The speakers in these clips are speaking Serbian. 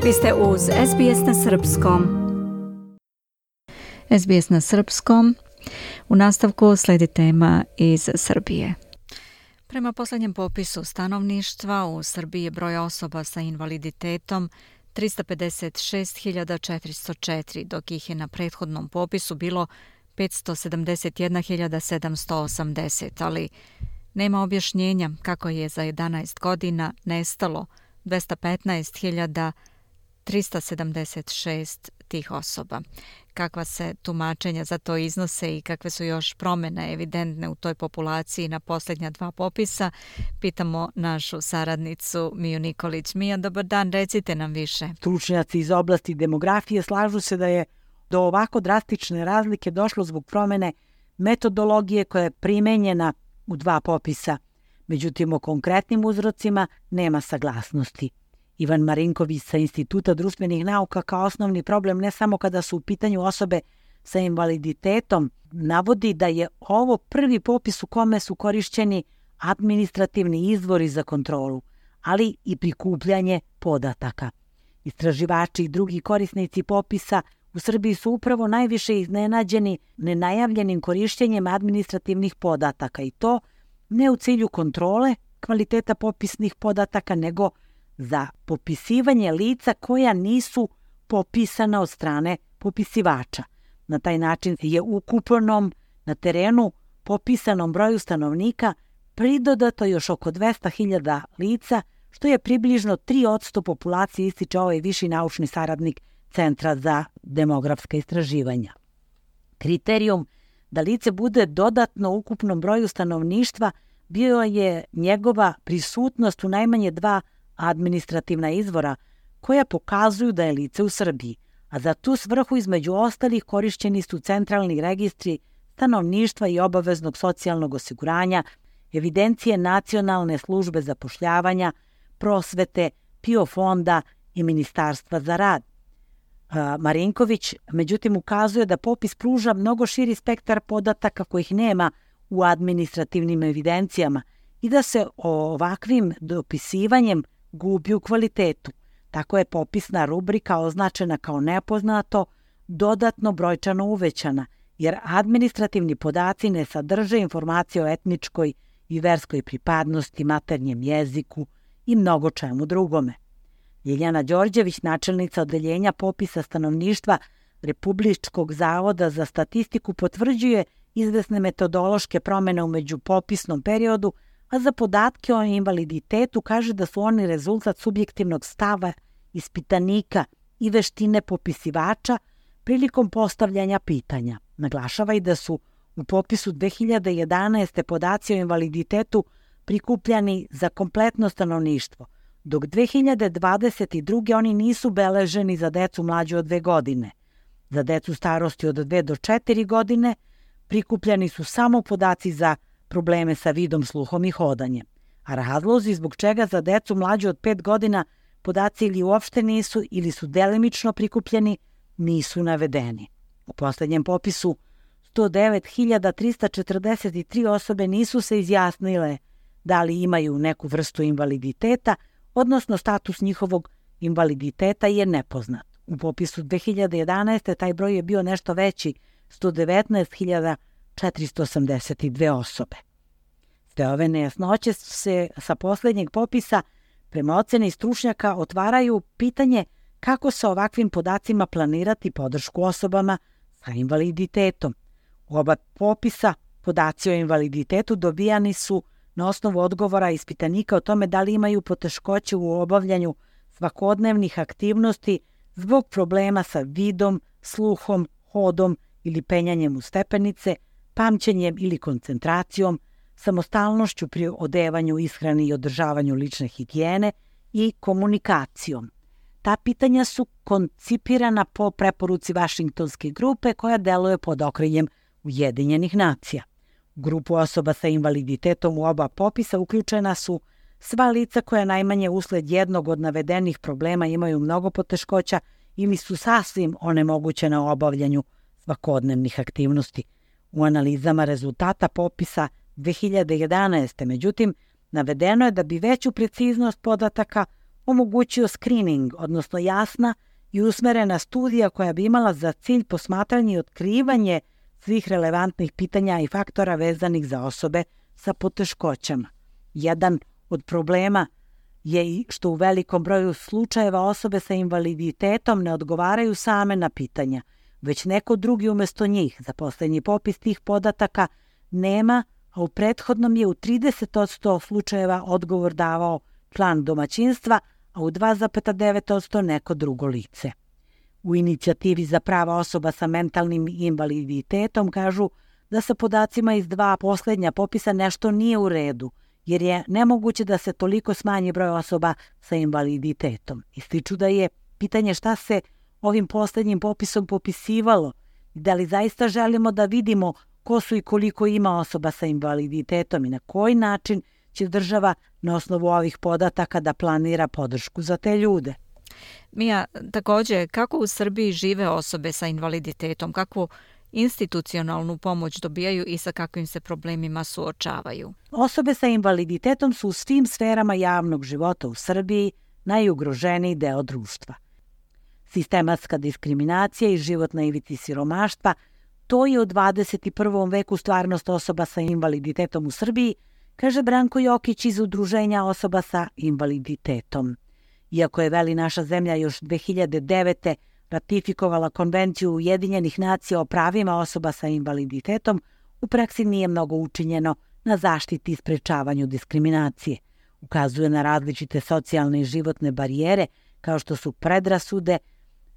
Vi ste uz SBS na Srpskom. SBS na Srpskom. U nastavku slijedi tema iz Srbije. Prema posljednjem popisu stanovništva u Srbiji je broj osoba sa invaliditetom 356.404, dok ih je na prethodnom popisu bilo 571.780, ali nema objašnjenja kako je za 11 godina nestalo 215.376 tih osoba. Kakva se tumačenja za to iznose i kakve su još promjene evidentne u toj populaciji na posljednja dva popisa, pitamo našu saradnicu Miju Nikolić. Mija, dobar dan, recite nam više. Stručnjaci iz oblasti demografije slažu se da je do ovako drastične razlike došlo zbog promjene metodologije koja je primenjena u dva popisa. Međutim, o konkretnim uzrocima nema saglasnosti. Ivan Marinković sa Instituta društvenih nauka kao osnovni problem ne samo kada su u pitanju osobe sa invaliditetom navodi da je ovo prvi popis u kome su korišćeni administrativni izvori za kontrolu, ali i prikupljanje podataka. Istraživači i drugi korisnici popisa u Srbiji su upravo najviše iznenađeni nenajavljenim korišćenjem administrativnih podataka i to ne u cilju kontrole kvaliteta popisnih podataka, nego za popisivanje lica koja nisu popisana od strane popisivača. Na taj način je ukupnom na terenu popisanom broju stanovnika pridodato još oko 200.000 lica, što je približno 3% populacije, ističe ovaj viši naučni saradnik Centra za demografska istraživanja. Kriterijum da lice bude dodatno ukupnom broju stanovništva bio je njegova prisutnost u najmanje dva administrativna izvora koja pokazuju da je lice u Srbiji, a za tu svrhu između ostalih korišćeni su centralni registri stanovništva i obaveznog socijalnog osiguranja, evidencije Nacionalne službe zapošljavanja, prosvete, PIO fonda i Ministarstva za rad. Marinković, međutim, ukazuje da popis pruža mnogo širi spektar podataka kojih nema u administrativnim evidencijama i da se ovakvim dopisivanjem gubi u kvalitetu. Tako je popisna rubrika označena kao nepoznato, dodatno brojčano uvećana, jer administrativni podaci ne sadrže informacije o etničkoj i verskoj pripadnosti, maternjem jeziku i mnogo čemu drugome. Ljiljana Đorđević, načelnica odeljenja popisa stanovništva Republičkog zavoda za statistiku, potvrđuje izvesne metodološke promjene u međupopisnom periodu, a za podatke o invaliditetu kaže da su oni rezultat subjektivnog stava ispitanika i veštine popisivača prilikom postavljanja pitanja. Naglašava i da su u popisu 2011. podaci o invaliditetu prikupljani za kompletno stanovništvo, dok 2022. oni nisu beleženi za decu mlađu od 2 godine. Za decu starosti od 2 do 4 godine prikupljani su samo podaci za probleme sa vidom, sluhom i hodanjem, a razlozi zbog čega za decu mlađu od 5 godina podaci ili uopšte nisu ili su delimično prikupljeni nisu navedeni. U posljednjem popisu 109.343 osobe nisu se izjasnile da li imaju neku vrstu invaliditeta, odnosno status njihovog invaliditeta je nepoznat. U popisu 2011. taj broj je bio nešto veći, 119.482 osobe. Sve ove nejasnoće se sa posljednjeg popisa prema oceni stručnjaka otvaraju pitanje kako sa ovakvim podacima planirati podršku osobama sa invaliditetom. U oba popisa podaci o invaliditetu dobijani su na osnovu odgovora ispitanika o tome da li imaju poteškoće u obavljanju svakodnevnih aktivnosti zbog problema sa vidom, sluhom, hodom ili penjanjem u stepenice, pamćenjem ili koncentracijom, samostalnošću pri odevanju, ishrani i održavanju lične higijene i komunikacijom. Ta pitanja su koncipirana po preporuci Vašingtonske grupe koja deluje pod okriljem Ujedinjenih nacija. U grupu osoba sa invaliditetom u oba popisa uključena su sva lica koja najmanje usled jednog od navedenih problema imaju mnogo poteškoća ili su sasvim onemogućena u obavljanju svakodnevnih aktivnosti. U analizama rezultata popisa 2011. međutim, navedeno je da bi veću preciznost podataka omogućio screening, odnosno jasna i usmerena studija koja bi imala za cilj posmatranje i otkrivanje svih relevantnih pitanja i faktora vezanih za osobe sa poteškoćama. Jedan od problema je i što u velikom broju slučajeva osobe sa invaliditetom ne odgovaraju same na pitanja, već neko drugi umjesto njih. Za poslednji popis tih podataka nema, a u prethodnom je u 30% slučajeva odgovor davao član domaćinstva, a u 2,9% neko drugo lice. U inicijativi za prava osoba sa mentalnim invaliditetom kažu da sa podacima iz 2 poslednja popisa nešto nije u redu, jer je nemoguće da se toliko smanji broj osoba sa invaliditetom. Ističu da je pitanje šta se ovim poslednjim popisom popisivalo i da li zaista želimo da vidimo ko su i koliko ima osoba sa invaliditetom i na koji način će država na osnovu ovih podataka da planira podršku za te ljude. Mija, također, kako u Srbiji žive osobe sa invaliditetom, kakvu institucionalnu pomoć dobijaju i sa kakvim se problemima suočavaju? Osobe sa invaliditetom su u svim sferama javnog života u Srbiji najugroženiji deo društva. Sistematska diskriminacija i život na ivici siromaštva, to je u 21. veku stvarnost osoba sa invaliditetom u Srbiji, kaže Branko Jokić iz Udruženja osoba sa invaliditetom. Iako je naša zemlja još 2009. ratifikovala Konvenciju Ujedinjenih nacija o pravima osoba sa invaliditetom, u praksi nije mnogo učinjeno na zaštiti i sprečavanju diskriminacije. Ukazuje na različite socijalne i životne barijere, kao što su predrasude,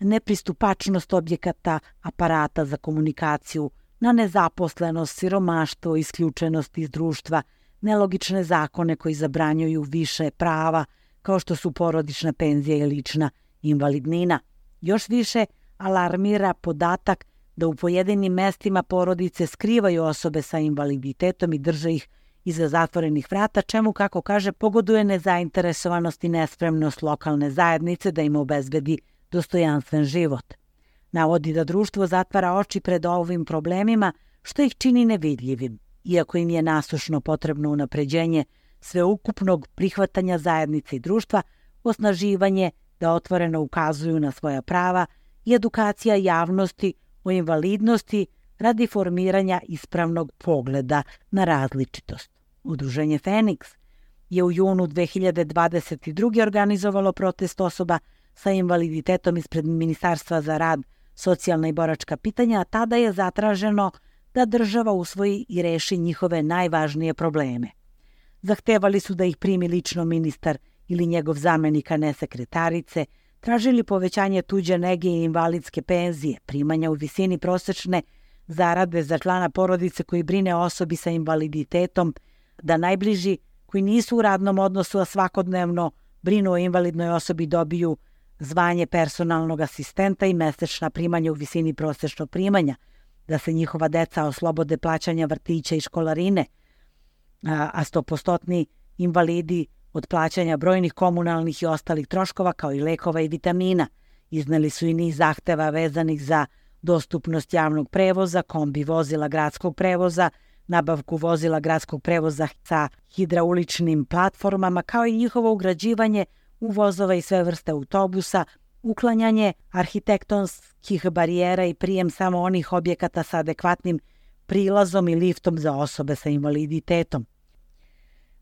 nepristupačnost objekata, aparata za komunikaciju, na nezaposlenost, siromaštvo, isključenost iz društva, nelogične zakone koji zabranjuju više prava, kao što su porodična penzija i lična invalidnina. Još više alarmira podatak da u pojedinim mestima porodice skrivaju osobe sa invaliditetom i drže ih iza zatvorenih vrata, čemu, kako kaže, pogoduje nezainteresovanost i nespremnost lokalne zajednice da im obezbedi dostojanstven život. Navodi da društvo zatvara oči pred ovim problemima, što ih čini nevidljivim, iako im je nasušno potrebno unapređenje sveukupnog prihvatanja zajednice i društva, osnaživanje da otvoreno ukazuju na svoja prava i edukacija javnosti o invalidnosti radi formiranja ispravnog pogleda na različitost. Udruženje Feniks je u junu 2022. organizovalo protest osoba sa invaliditetom ispred Ministarstva za rad, socijalna i boračka pitanja, a tada je zatraženo da država usvoji i reši njihove najvažnije probleme. Zahtevali su da ih primi lično ministar ili njegov zamenik, a ne sekretarice, tražili povećanje tuđe nege i invalidske penzije, primanja u visini prosečne zarade za člana porodice koji brine o osobi sa invaliditetom, da najbliži koji nisu u radnom odnosu, a svakodnevno brinu o invalidnoj osobi, dobiju zvanje personalnog asistenta i mesečna primanja u visini prosečnog primanja, da se njihova deca oslobode plaćanja vrtića i školarine, a 100% invalidi od plaćanja brojnih komunalnih i ostalih troškova kao i lekova i vitamina. Izneli su i niz zahteva vezanih za dostupnost javnog prevoza, kombi vozila gradskog prevoza, nabavku vozila gradskog prevoza sa hidrauličnim platformama, kao i njihovo ugrađivanje u vozova i sve vrste autobusa, uklanjanje arhitektonskih barijera i prijem samo onih objekata sa adekvatnim prilazom i liftom za osobe sa invaliditetom.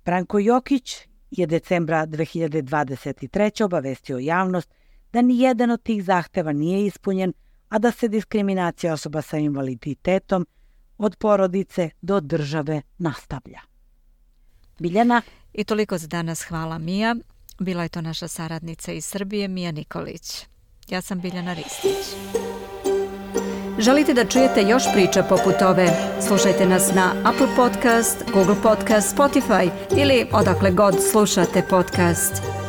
Branko Jokić je decembra 2023. obavestio javnost da ni jedan od tih zahteva nije ispunjen, a da se diskriminacija osoba sa invaliditetom od porodice do države nastavlja. Biljana? I toliko za danas. Hvala, Mija. Bila je to naša saradnica iz Srbije, Mija Nikolić. Ja sam Biljana Ristić. Želite da čujete još priča poput ove? Slušajte nas na Apple Podcast, Google Podcast, Spotify ili odakle god slušate podcast.